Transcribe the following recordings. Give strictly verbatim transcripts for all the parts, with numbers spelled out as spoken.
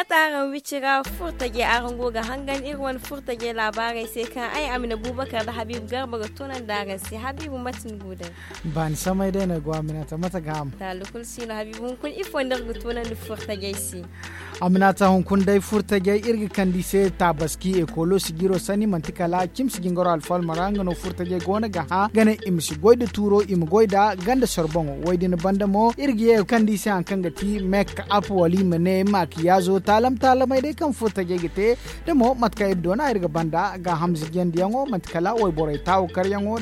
Mate araŋ wicira furtajey araŋ go ga hangan iri wane furtajey laabaarey se kaŋ ay amina buubakar nda habiibu garba ga tunandi araŋ se habiibu mate ni go day? Baani samay day no ay go aminata mate ga ham? Taalli kulu si no habiibu hunkuna ifo nda iri ga tunandi furtajey se? Aminata hunkuna day furtajey iri ga kande i se taabaski ekoolo sijiro sanni manti kala cimsi jingaro alfalma ra nga no furtajey go no ga hã ga ne i ma si goy nda tuuro i ma goy nd'a ganda sorboŋo wo- din banda mo iri ga ye ga kande i se hari kaŋ ga ti mek ap wala i ma ne maakiyaazo taalam taalamey day kaŋ furtajey ga te. Da mo mate kaŋ iri doona iri ga banda gaahamza jandiyaŋo manti kala wayborey taawakaryaŋo.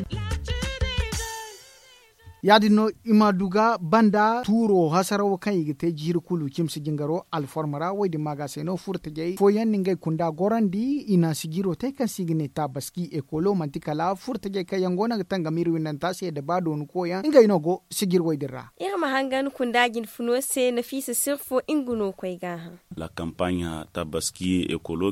Ya- din no i ma du ga banda tuuro hasarawo kaŋ i ga te jiiri kulu cimsi jingaro alforma ra wo- din ma ga se no furtajey fooyaŋ na ngey kunda gorandi i na sijiro te kaŋ se i ga ne taabaski ekoolo manti kala furtajey kaŋ yaŋ go no ga tangam iri windanta se nda ba dooni koyaŋ ngey no go sijir wo- din ra. Iri ma hangan kunda jinfuno se nafiisa sirfo nga no koy gaaham. La kampaaɲa taabaski ekoolo.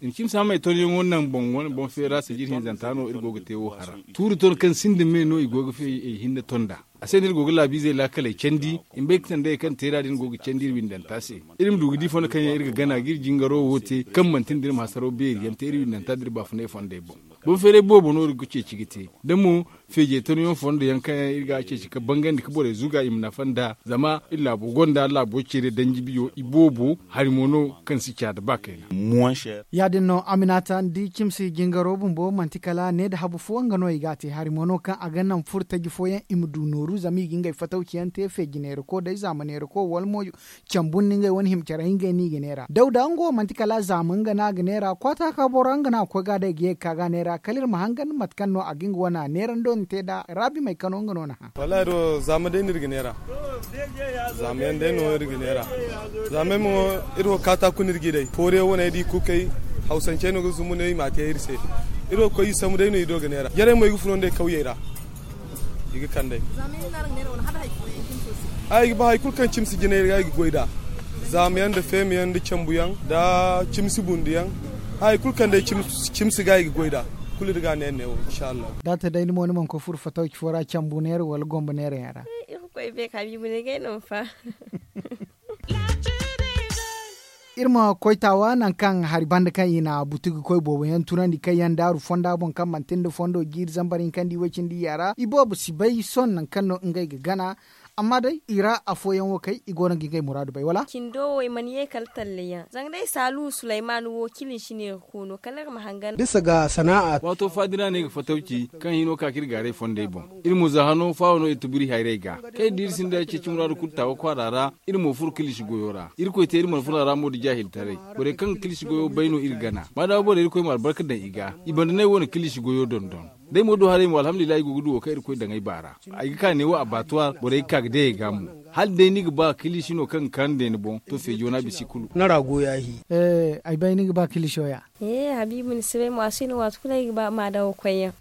Iri cimsi hammey tonyaŋo naŋ boŋ wane boŋ feera sijir hinzanta no iri go ga te wo hara. Tuuri ton kaŋ sinda me no i go ga fay ay hinne ton nd'a. A se no iri go ga laabiizey laakaley candi i ma bay ga sandayey kaŋ teera din go ga candi iri windanta se. Iri ma du ga di fondo kaŋ yaŋ iri ga gana ga iri jingaro wo te kaŋ manti nda iri ma hasaro beeri yaŋ te iri windanta nda iri baafunay fondey boŋ. Boŋ feeray boobo no iri ga ceeci ga te da mo feejey tonyaŋ fondo yaŋ kaŋ yaŋ iri ga a ceeci ga bangandi ga borey zuga i ma nafa nd'a zama iri laabo gonda laabo ceere danji biyo i boobo hari mo no kaŋ si caada ba kayna. Ya- din no aminata ni di cimsi jingaro bumbo manti kala ne nda habu fo nga no i ga a te hari mo no kaŋ a ga naŋ furo taji fooyaŋ i ma du nooru zama i ga ngey fatawci yaŋ te feeji neerako day zaama neerako wala mo cambu nda ngey wane hima care hinga yaŋ no i ga neera dawda nga wo manti kala zaama nga no a ga neera kwaata ka boro nga no a ga koy ga a day ga ye ga ka ga a neera kala iri ma hangan mate kaŋ no a ga nga wane a neerando na te nd'a raabi may kano nga no na hã. Wallaahi do zaama day no iri ga neera. Zaama yaŋ day no iri ga neera. Zaama yaŋ mo iri wo kaata kulu no iri g'i day fooriyaŋ wane day da i kukay hawsancey no ga zumbu no i m'a te iri se. Iri wo ga koy i sambu day no i do ga neera jarey mo i ga furo nd'ey kawyey ra. I ga kand'ey. Ay ga ba hari kulu kaŋ cimsi jinay ga i ga goy nd'a. Zaama yaŋ nda feema yaŋ nda cambu yaŋ nda cimsi bundu yaŋ. Hari kulu kaŋ day cimsi ga i ga goy nd'a. Kulu iri ga a neera neewo inshallahu. Da a te day ni mo ni mana koy furo fatawci fo ra cambu neera wala gombo neera yaŋ ra. Irkoy bay ka biibu ne gay no ma fa. Iri ma koy taawa nangu kaŋ hari banda kaŋ i na butu ga koy boobo yaŋ tunandi kaŋ yaŋ daaru fonda boŋ kaŋ manti nda fondo jiiri zambar hinka nda i way cindi yaŋ ra i boobo si bay sohõ nangu kaŋ no ngey ga gana. Amma day i ra afooyaŋ wo kay i go no ga ngey muraadu bay wala? Cindo wo i mana ye kala talle yaŋ zanga day saalu sulayman wo kiliŋ si neera koono kala iri ma hangan. Bisa ga sana'a. Waato faadira no ay ga fatawci kaŋ hino ka ka iri gaaray fondey boŋ. Iri mo za hano faawo no iri tuburi hayrey ga kaŋ iri di iri sinda ceeci muraadu kulu taawa kwaara ra. Iri mo furo kilishi goyo ra irkoy te iri mana furo a ra mo nda jaahiltaray. Borey kaŋ ga kilishi goyo bay no iri gana maadaama borey irkoy ma albarka daŋ i ga. I banda no ay wane kilishi goyo dondon. Day mo do haray mo alhamdulillahi ay go ga du wo kaŋ irkoy daŋ ay baara. Ay ga ka neewo abattoir borey ga ka ga day ay ga mo. Hala day ni ga ba kilishi no kaŋ ga kaanu day ni boŋ to feejo no a bisa i kulu. Ni ra go yaahi. Ay bay ni ga ba kiliso ya. Habiibu ni si bay mo a si no waati kulu ay ga ba ma daŋ wo koyyaŋ.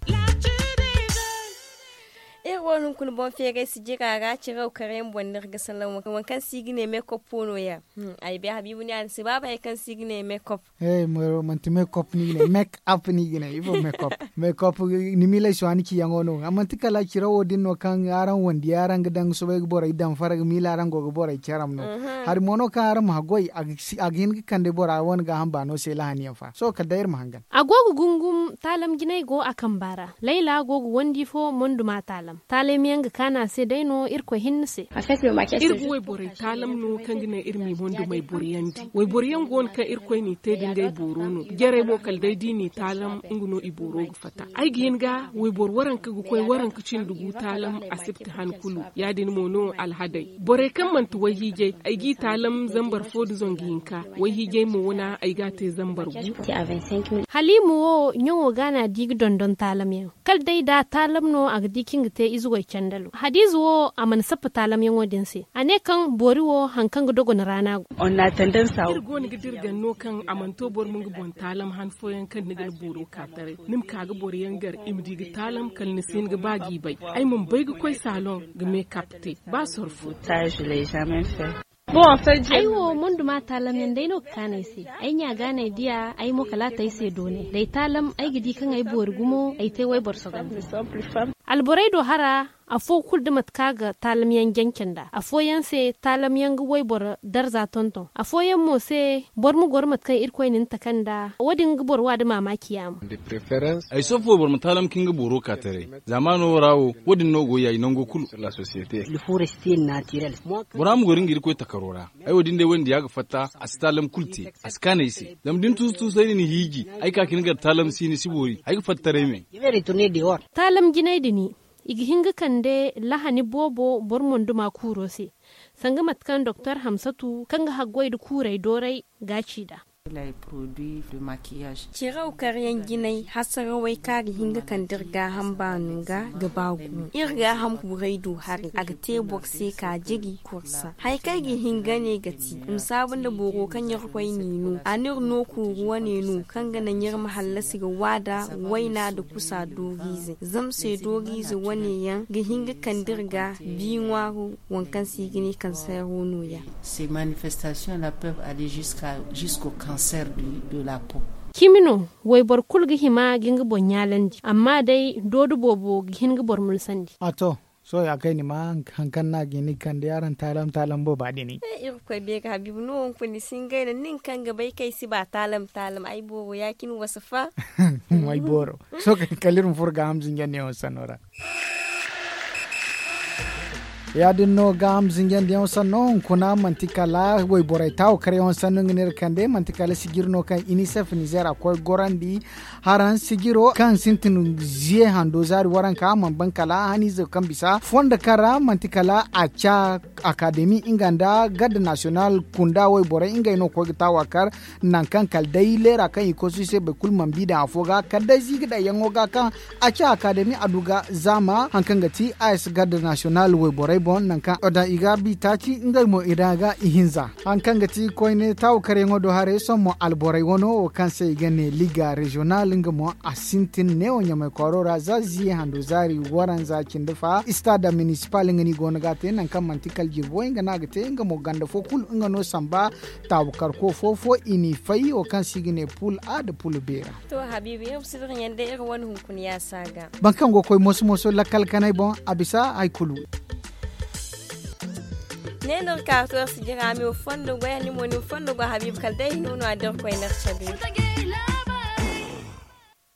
Iri wo hunkuna boŋ feeray si jira ra ciraw karayaŋ boŋ no iri ga salaŋ waŋ kaŋ se i ga ne mekoppo no- ya. Ay bay habiibu ni a ni si ba bay hari kaŋ se i ga ne mekop. Manti mekop no i ga ne mekop no i ga ne ifo mekop. Mekop ni miiley si waani ciyaŋo no a manti kala cirawo din no kaŋ araŋ wandi araŋ ga daŋ ga soobay ga borey daŋ fara ga miila araŋ go ga borey caram no. Hari mo no kaŋ araŋ ma haggoy a ga hin ga kande bora wane gaaham baano se lahaniyaŋ fa sohõ kala day iri ma hangan. A go ga gungum taalam jinay go a kamba ra. Layla go ga wandi fo monduma taalam taalam yaŋ ga kaanu a se day no irkoy hinne se. Iri ga wayborey taalam no kaŋ ga naŋ iri m'i mondumey boriyandi wayboro yaŋ go no kaŋ irkoy n'i te da ngey booro no jarey mo kala day da i n'i taalam nga no i booro ga fatta. Ay ga hin ga wayboro waranka ga koy waranka cindi gu taalam asibti han kulu ya- din mo no alhadey. Borey kaŋ manti wayhiijay ay g'i taalam zambar fo nda zangu hinka. Wayhiijay mo wana ay g'a te zambar gu. Haliima wo ɲaŋo ga no a di ga dondon taalam yaŋ. Kala day da taalam no a ga di kaŋ ga te ize way candalo hadiize wo a mana sappa taalamyaŋo din se a ne kaŋ boori wo hari kaŋ ga dogon raana go. Iri go no ga dira ganno kaŋ a mana to boro ma nga boŋ taalam han fooyaŋ kaŋ ni ga ni booro ka taray ni ma ka ga boro yaŋ gar i ma di ga taalam kala ni si hin ga ba g'i bay. Ay mana bay ga koy saalon ga meekap te ba sorfo. Ay wo monduma taalam yaŋ day no ga kaanu ay se. Ay ɲa ga no ay diya ay mo kala a te ay se doonay da ay taalam ay ga di kaŋ ay boori gumo ay te wayboro sogandi. Alborey do hara. afo kulu da mate kaŋ a ga taalam yaŋ janca nd'a afooyaŋ se taalam yaŋ ga wayboro darza tonton afooyaŋ mo se boro ma goro mate kaŋ irkoy na ni taka nd'a wo- din ga boro wa nda maamaaci yaamo. Ay si affo boro ma taalam ka nga booro ka taray. Zaamaano ra wo wo- din no go yaayi nango kulu. Bora ma goro nga irkoy takaro ra. Ay wo- din day wo- din ya ga fatta a si taalam kulu te. A si kaanu ay se zama da ni tuusu tuusu ay na ni hiiji ay ka ka ni gar taalam si ni si boori ay ga fatta taray me. Taalam jinay din i ga hin ga kande lahani boobo boro monduma kuuro se. Sanga mate kaŋ doktor hamsatu kaŋ ga haggoy nda kuurey dooray ga a ci nd'a. Ciraw karyaŋ jinay hasarawey kaŋ a ga hin ga kande iri gaaham baano ga ga ba gumo iri gaaham kuurey du haray a ga te boro se ka jiri kursa. Hari kaŋ ay ga hin ga ne ga ti i ma saabu nda boro kaŋ irkoy n'i no a n'iri no kuuru wane no kaŋ ga naŋ iri ma hallasi ga waada wayna nda kusa dooriizey zama se dooriize wane yaŋ ga hin ga kande iri ga bi ŋwaaru waŋ kaŋ se i ga ne kanseero no- ya. Ces manifestations la peuvent aller jusqu'à jusqu'au cancer de la peau. Cimi no wayboro kulu ga hima ga nga boŋ ɲaalandi amma day doodo boobo ga hin ga boro mulsandi. A to, sohõ ya kaŋ ay na ma haŋ kaŋ no a ga hin ga kande araŋ taalam taalam booba din. Irkoy beeri habiibu no hunkuna ni si hin ga ay naŋ nin kaŋ ga bay kaŋ ay si ba taalam taalam ay booro ya- cine wasa fa. Ay booro. Sohõ kala iri ma furo gaaham zinjandiyaŋo sanno ra. Ya- din no gaaham zinjandiyaŋo sanno hunkuna manti kala wayborey taawakaryaŋo sanno nga no iri kande manti kala sijiri no kaŋ inisef nizeer a koy gorandi. Haraŋ sijiro kaŋ sintin ziye hando zaari waranka mana ban kala haniize kaŋ bisa fondo kaŋ ra manti kala a ca akademi nga nda garde nasiyonal kunda wayborey ngey no ga koy ga taawakar. Nangu kaŋ kala day leera kaŋ i kosu i se boro kulu mana bi daŋ afo ga kala day ziiga daŋ yaŋo ga kaŋ a ci akademi a du ga zaama hari kaŋ ga ti a s garde nasiyonal wayborey boŋ nangu kaŋ daŋ i ga bi taaci ngey mo i daŋ ga ihinza. Hari kaŋ ga ti koyne taawakaryaŋo do haray sohõ mo alborey wano wo kaŋ se i ga ne liga reziyonal nga mo a sintin neewo ɲamay kwaaro ra za ziye hando zaari waranza cindi fa istaada minisipal nga no i go no ga a te nangu kaŋ manti kala jirbo nga no a ga te nga mo ganda fo kulu nga no samba. Taabu karko fo fo i n'i fay wo kaŋ se i ga ne pul a nda pul beera. To habiibi iri ma si diraɲaŋ day iri wane hunkuna yaasa ga. Boro kaŋ go ga koy moso moso lakkal kanay boŋ a bisa hari kulu. Ne no iri ka to iri si jira a ma iri fondo goy a ni mo ni ma fondo goy habiibi kala day hino no a da iri koy no iri cabe.